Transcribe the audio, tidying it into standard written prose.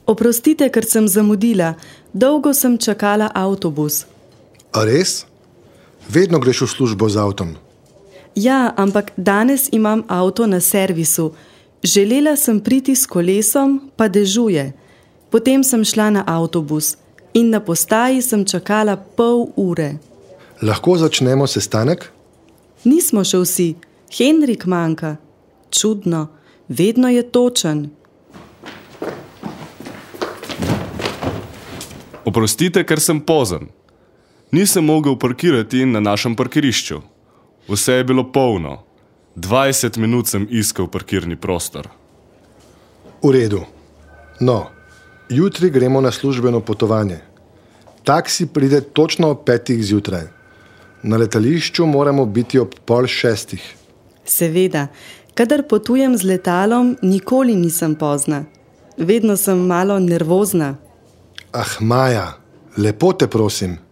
Oprostite, ker sem zamudila. Dolgo sem čakala avtobus. A res? Vedno greš v službo z avtom. Ja, ampak danes imam avto na servisu. Želela sem priti s kolesom, pa dežuje. Potem sem šla na avtobus in na postaji sem čakala pol ure. Lahko začnemo sestanek? Nismo še vsi. Henrik manjka. Čudno. Vedno je točen. Oprostite, ker sem pozen. Nisem mogel parkirati na našem parkirišču. Vse je bilo polno. 20 minut sem iskal parkirni prostor. V redu. No, jutri gremo na službeno potovanje. Taksi pride točno ob 5 zjutraj. Na letališču moramo biti ob 5:30. Seveda, kadar potujem z letalom, nikoli nisem pozna. Vedno sem malo nervozna. Ah, Maja, lepo te prosim.